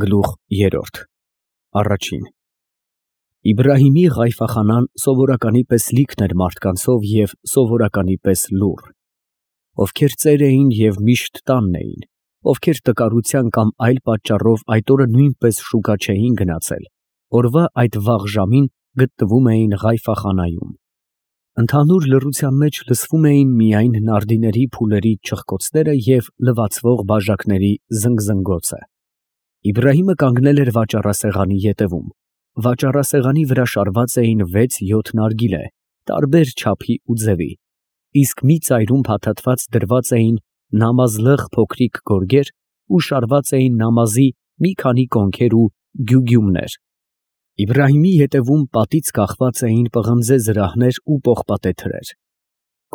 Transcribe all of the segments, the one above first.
Գլուխ 3 Առաջին Իբրահիմի ղայֆախանան սովորականի պես լիքն էր մարդկանցով և սովորականի պես լուռ, ովքեր ծեր էին և միշտ տանն էին, ովքեր տկարության կամ այլ պատճառով այդ օրը նույնպես շուկա չէին գնացել, օրվա այդ վաղ ժամին գտնվում էին ղայֆախանայում. ընդհանուր լռության մեջ լսվում էին միայն նարդիների փուլերի չխկոցները և լվացվող բաժակների զնգզնգոցը։ Իբրահիմը կանգնել էր վաճառասեղանի ետևում. վաճառասեղանի վրա շարված էին 6-7 նարգիլե, տարբեր չափի ու ձևի, իսկ մի ծայրում փաթաթված դրված էին նամազլղ փոքրիկ գորգեր ու շարված էին նամազի մի քանի կոնքեր ու գյուգյումներ։ Իբրահիմի ետևում պատից կախված էին պղնձե զրահներ ու պողպատե թրեր։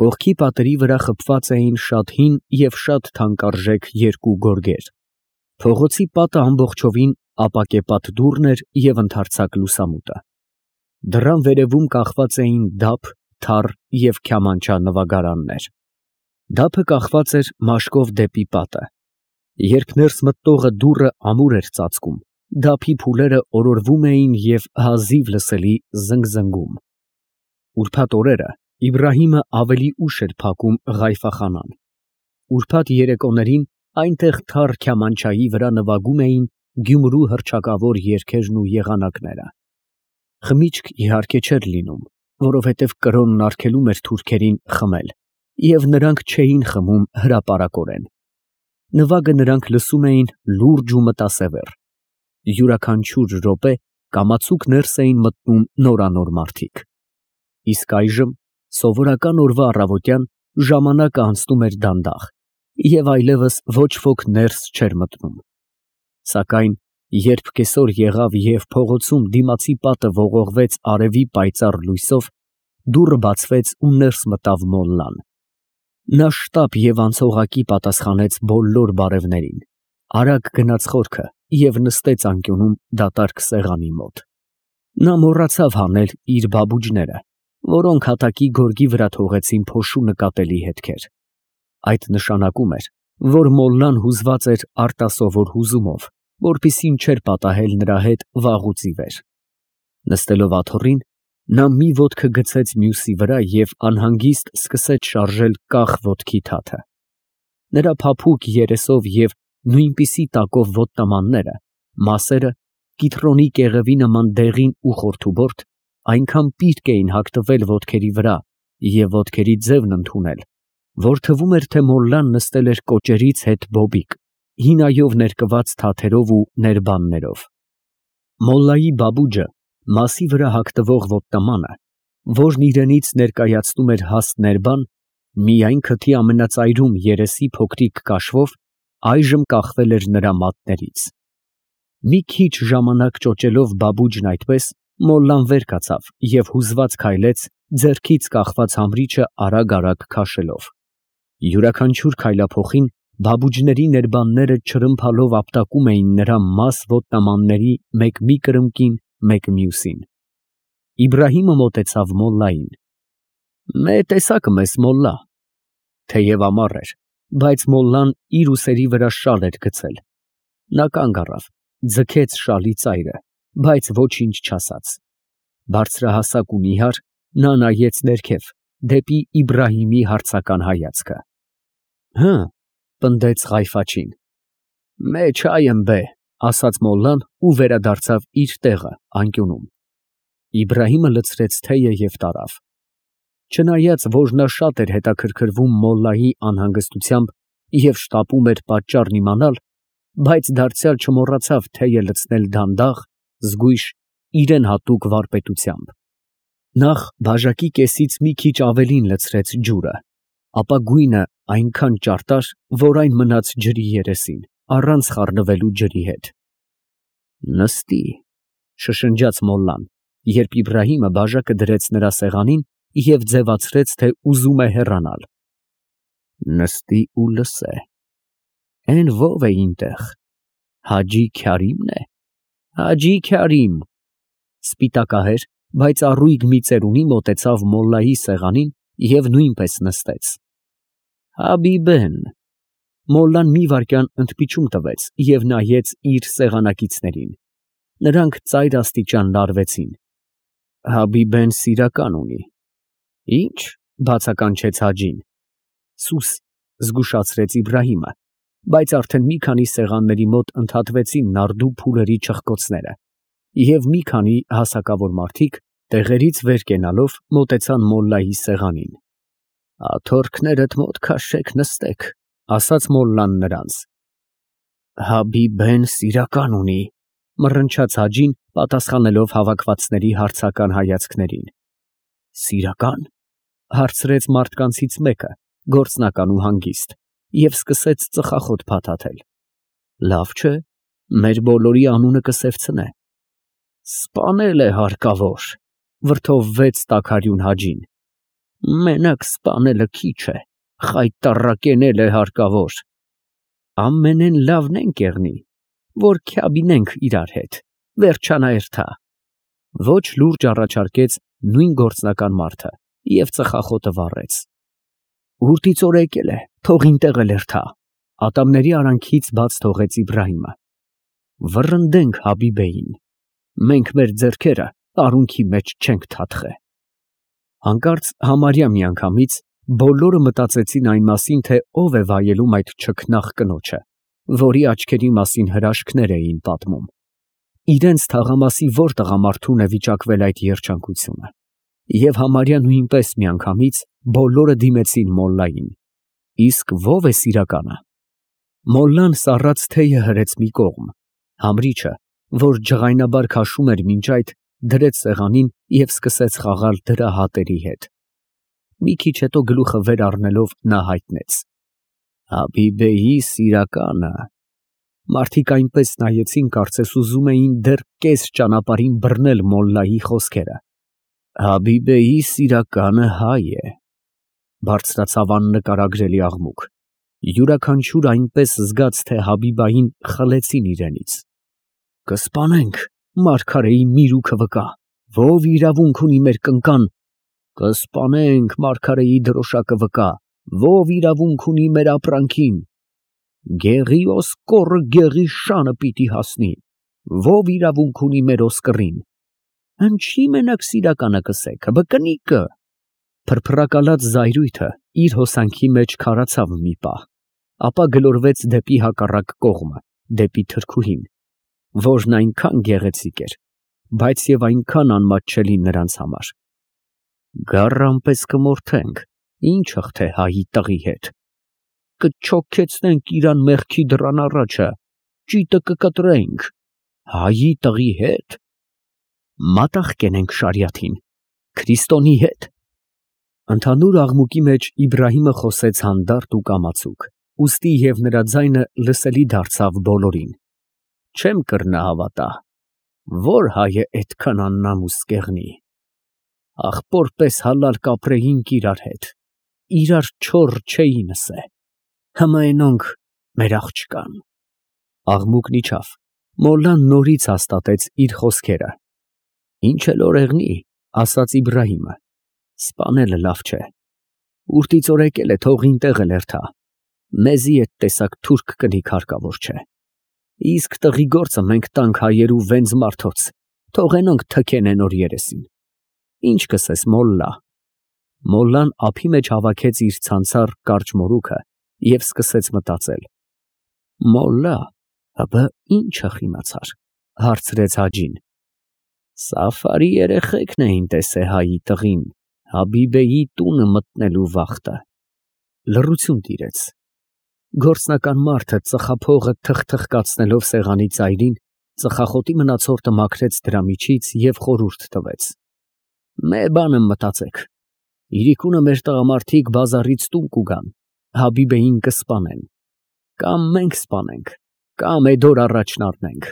Կողքի պատերի վրա խփված էին շատ հին և շատ թանկարժեք երկու գորգեր։ Փողոցի պատը ամբողջովին ապակեպատ դուռն էր և ընդարձակ լուսամուտը։ Դռան վերևում կախված էին դափ, թառ և քյամանչա նվագարաններ։ Դափը կախված էր մաշկով դեպի պատը։ Երբ ներս մտնողը դուռը ամուր էր ծածկում, դափի փուլերը օրորվում էին և հազիվ լսելի զնգզնգում։ Ուրբաթ օրերը Իբրահիմը ավելի ուշ էր փակում ղայֆախանան։ Ուրբաթ երեկոներին այնտեղ թառ քյամանչայի վրա նվագում էին Գյումրու հռչակավոր երգերն ու եղանակները։ Խմիչք իհարկե չէր լինում, որովհետև կրոնն արգելում էր թուրքերին խմել, և նրանք չէին խմում հրապարակորեն։ Նվագը նրանք լսում էին լուրջ ու մտասևեռ։ Յուրաքանչյուր րոպե կամացուկ ներս էին մտնում նորանոր մարդիկ։ Իսկ այժմ, սովորական օրվա առավոտյան, ժամանակը անցնում էր դանդաղ, և այլևս ոչ ոք ներս չէր մտնում։ Սակայն երբ կեսօր եղավ և փողոցում դիմացի պատը ողողվեց արևի պայծառ լույսով, դուռը բացվեց ու ներս մտավ մոլլան։ Նա շտապ և անցողակի պատասխանեց բոլոր բարևներին, արագ գնաց խորքը և նստեց անկյունում դատարկ սեղանի մոտ։ Նա մոռացավ հանել իր բաբուջները, որոնք հատակի գորգի վրա թողեցին փոշու նկատելի հետքեր։ Այդ նշանակում էր, որ մոլլան հուզված էր արտասովոր հուզումով, որպեսզի չէր պատահել նրա հետ վաղուց ի վեր։ Նստելով աթոռին, նա մի ոտքը գցեց մյուսի վրա և անհանգիստ սկսեց շարժել կախ ոտքի թաթը։ Նրա փափուկ երեսով և նույնպիսի տակով ոտնամանները, մասերը, կիթռոնի կեղևի նման դեղին ու խորթուբորդ, այնքան պիտկ էին հագտվել ոտքերի վրա և ոտքերի ձևն ընդունել, որ թվում էր, թե մոլլան նստել էր կոճերից հետ բոբիկ, հինայով ներկված թաթերով ու ներբաններով։ Մոլլայի բաբուջը, մասի վրա հագնվող ոտնամանը, որն իրենից ներկայացնում էր հաստ ներբան, միայն քթի ամենածայրում երեսի փոքրիկ կաշվով, այժմ կախվել էր նրա մատներից։ Մի քիչ ժամանակ ճոճելով բաբուջն այդպես, մոլլան վեր կացավ և հուզված քայլեց, ձեռքից կախված համրիչը արագ քաշելով։ Յուրաքանչյուր քայլափոխին բաբուջների ներբանները չրմփալով ապտակում էին նրա մաս ոտնամանների մեկ մի կրծքին, մեկ մյուսին։ Իբրահիմը մոտեցավ մոլլային։ ֊ Մե տեսա՞ք ես, մոլլա։ Թեև ամառ էր, բայց մոլլան իր ուսերի վրա շալ էր գցել։ Նա կանգ առավ, ձգեց շալի ծայրը, բայց ոչինչ չասաց։ Բարձրահասակ ու նիհար, նա նայեց ներքև, դեպի Իբրահիմի հարցական հայացքը։ ֊ Հը, ֊ պնդեց Ղայֆաչին։ ֊ Մե չայ ըմբե, ֊ ասաց մոլլան ու վերադարձավ իր տեղը անկյունում։ Իբրահիմը լցրեց թեյը և տարավ։ Չնայած որ նա շատ էր հետաքրքրվում մոլլայի անհանգստությամբ և շտապում էր պատճառն իմանալ, բայց դարձյալ չմոռացավ թեյը լցնել դանդաղ, զգույշ, իրան հատուկ վարպետությամբ։ Նախ բաժակի կեսից մի քիչ ավելին լցրեց ջուրը, ապա գույնը այնքան ճարտար, որ այն մնաց ջրի երեսին, առանց խառնվելու ջրի հետ։ Նստի, ֊ շշնջաց մոլլան, երբ Իբրահիմը բաժակը դրեց նրա սեղանին և ձևացրեց, թե ուզում է հեռանալ։ Նստի ու լսե։ Էն ո՞վ է ինտեղ, Հաջի Քյարի՞մն է։ Հաջի Քյարիմ։ Սպիտակահեր, բայց առույգ մի ծերունի մոտեցավ մոլլայի սեղանին և նույնպես նստեց։ Հաբիբեն։ Մոլլան մի վայրկյան ընդպիչում տվեց և նայեց իր սեղանակիցներին։ Նրանք ծայր աստիճան լարվեցին։ Հաբիբեն սիրական ունի։ Ի՞նչ, բացականչեց Հաջին։ Սուս, զգուշացրեց Իբրահիմը, բայց արդեն մի քանի սեղանների մոտ ընդհատվեցին նարդու փուլերի չխկոցները, և մի քանի հասակավոր մարդիկ տեղերից վեր կենալով մոտեցան մոլլայի սեղանին։ Աթոռքներդ մոտ քաշեք, նստեք, ասաց մոլլան նրանց։ Հաբիբեն սիրական ունի, մռնչաց Հաջին, պատասխանելով հավաքվածների հարցական հայացքներին։ Սիրական, հարցրեց մարդկանցից մեկը, գործնական ու հանգիստ, և սկսեց ծխախոտ փաթաթել։ Լավ չէ, մեր բոլորի անունը կսևցնե։ Սպանել է հարկավոր, վրդովվեց տաքարյուն Հաջին։ Մենակ սպանելը քիչ է, խայտառակենել է հարկավոր։ Ամենեն լավն ենք եղնի, որ քյաբինենք իրար հետ, վերջանա երթա։ Ոչ լուրջ առաջարկեց նույն գործնական մարդը և ծխախոտը վառեց։ Ուրտից օր եկել է, թող ինտեղ էլ երթա, ատամների արանքից բաց թողեց Իբրահիմը։ Վռնդենք Հաբիբեին, մենք մեր ձեռքերը արունքի մեջ չենք թաթխե։ Հանկարծ համարյա միանգամից բոլորը մտածեցին այն մասին, թե ով է վայելում այդ չքնաղ կնոջը, որի աչքերի մասին հրաշքներ էին պատմում։ Իրենց թաղամասի որ տղամարդուն է վիճակվել այդ երջանկությունը։ Եվ համարյա նույնպես միանգամից բոլորը դիմեցին մոլլային։ Իսկ ո՞վ է սիրականը։ Մոլլան սառած թեյը հրեց մի կողմ, համրիչը, որ ջղայնաբար քաշում էր մինչ այդ, դրեց սեղանին և սկսեց խաղալ դրա հատերի հետ։ Մի քիչ հետո գլուխը վեր առնելով նա հայտնեց. Հաբիբեի սիրականը։ Մարդիկ այնպես նայեցին, կարծես ուզում էին դեռ կես ճանապարհին բռնել մոլլայի խոսքերը։ Հաբիբեի սիրականը հայ է, բարձրացավ աննկարագրելի աղմուկ։ Յուրաքանչյուր այնպես զգաց, թե Հաբիբային խլեցին իրենից։ Կսպանենք մարգարեի միրուքը վկա, ով իրավունք ունի մեր կնկան։ Կսպանենք մարգարեի դրոշակը վկա, ով իրավունք ունի մեր ապրանքին։ Գեղի ոսկորը գեղի շանը պիտի հասնի, ով իրավունք ունի մեր ոսկրին։ Ինչի մենակ սիրականը կսեք, բկնիկը։ Փրփրակալած զայրույթը իր հոսանքի մեջ քարացավ մի պահ, ապա գլորվեց դեպի հակառակ կողմը, դեպի թրքուհին, որն այնքան գեղեցիկ էր, բայց և այնքան անմատչելի նրանց համար։ Գառան պես կմորթենք, ինչ հղթե հայի տղի հետ։ Կչոքեցնենք իրան մեղքի դռան առաջը, ճիտը կկտրենք, հայի տղի հետ։ Մատաղ կենենք շարիաթին, Քրիստոնի հետ։ Ընդհանուր աղմուկի մեջ Իբրահիմը խոսեց հանդարտ ու կամացուկ, ուստի և նրա ձայնը լսելի դարձավ բոլորին։ Չեմ կռնա հավատա, որ հայ է էդքան աննամուս կեղնի։ Աղբոր պես հալալ կապրեինք իրար հետ, իրար չոռ չէին ասե։ Հմայնոնք մեր աղջկան։ Աղմուկն իջավ, մոլլան նորից հաստատեց իր խոսքերը։ Ինչ էլ օրեղնի, ասաց Իբրահիմը, սպանելը լավ չէ։ Ուրտից օր եկել է, թող ինտեղ էլ երթա։ Մեզի այդ տեսակ թուրք կնիկ հարկավոր չէ։ Իսկ տղի գործը մենք տանք հայերու վենձ մարդոց, թողենոնք թքենեն օր երեսին։ Ինչ կսես, մոլլա։ Մոլլան ափի մեջ հավաքեց իր ցանցառ կարճ մորուքը և սկսեց մտածել։ Մոլլա, հըբը ինչը խիմացար, հարցրեց Հաջին։ Սաֆարի երեխեքն էին տեսե հայի տղին, Հաբիբեի տունը մտնելու վախտը։ Լռություն տիրեց։ Գործնական մարդը ծխափողը թխթխկացնելով սեղանի ծայրին, ծխախոտի մնացորդը մաքրեց դրա միջից և խորհուրդ տվեց. Մե բանը մտածեք, իրիկունը մեր տղամարդիկ բազարից տուն կուգան, Հաբիբեին կսպանեն, կամ մենք սպանենք, կամ էդ օր առաջն առնենք։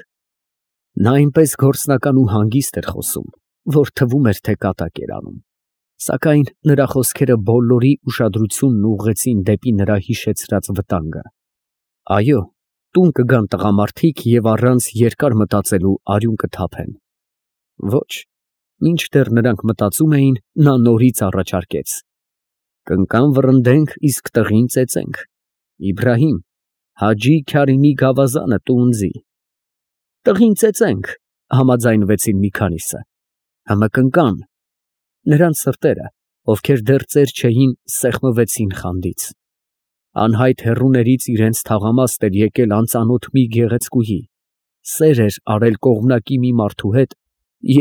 Նա այնպես գործնական ու հանգիստ էր խոսում, որ թվում էր, թե կատակ էր անում, սակայն նրա խոսքերը բոլորի ուշադրությունն ուղղեցին դեպի նրա հիշեցրած վտանգը։ Այո, տուն կգան տղամարդիկ և առանց երկար մտածելու արյուն կթափեն։ Ոչ, մինչդեռ նրանք մտածում էին, նա նորից առաջարկեց. Կնկան վռնդենք, իսկ տղին ծեծենք։ Իբրահիմ, Հաջի Քարիմի գավազանը տունձի։ Տղին ծեծենք, համաձայնվեցին մի քանիսը։ Հմը կնկան։ Նրանց սրտերը, ովքեր դեռ ծեր չէին, սեղմվեցին խանդից։ Անհայտ հեռուներից իրենց թաղամաստ էր եկել անծանոթ մի գեղեցկուհի, սեր էր արել կողմնակի մի մարդու հետ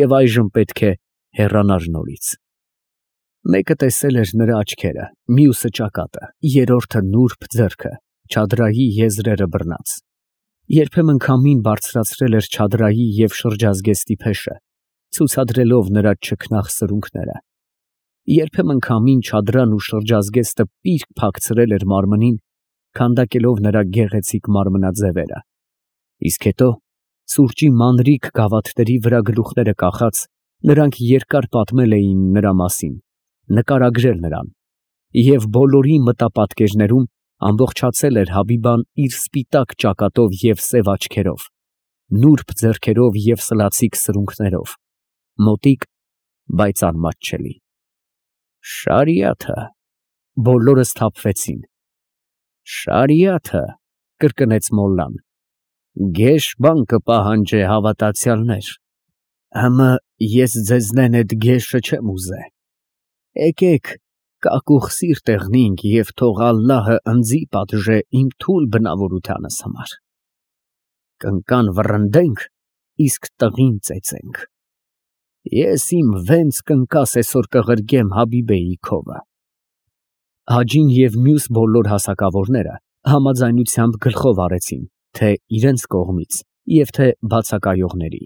և այժմ պետք է հեռանար նորից։ Մեկը տեսել էր նրա աչքերը, մյուսը ճակատը, երրորդը նուրբ ձեռքը, չադրայի եզրերը բռնած։ Երբեմն քամին բարձրացրել էր չադրայի և շրջազգեստի փեշը, ցուցադրելով նրա չքնաղ սրունքները։ Երբեմն քամին չադրան ու շրջազգեստը պիրկ փակցրել էր մարմնին, քանդակելով նրա գեղեցիկ մարմնաձևերը։ Իսկ հետո, սուրճի մանրիկ գավաթների վրա գլուխները կախած, նրանք երկար պատմել էին նրա մասին, նկարագրել նրան, և բոլորի մտապատկերներում ամբողջացել էր Հաբիբան իր սպիտակ ճակատով և սև աչքերով, նուրբ ձեռքերով և սլացիկ սրունքներով, մոտիկ, բայց անմատչելի։ Շարիաթը… Բոլորը սթափվեցին։ Շարիաթը… կրկնեց մոլլան, գեշ բան կպահանջե, հավատացյալներ, հմը ես ձեզնեն էդ գեշը չեմ ուզե, եկեք կակուղ սիրտ եղնենք և թող ալլահը ընձի պատժե իմ թույլ բնավորությանս համար, կնկան վռնդենք, իսկ տղին ծեծենք, ես իմ վենց կնկաս էսօր կղրգեմ Հաբիբեի քովը։ Հաջին և մյուս բոլոր հասակավորները համաձայնությամբ գլխով արեցին, թե իրենց կողմից և թե բացակայողների։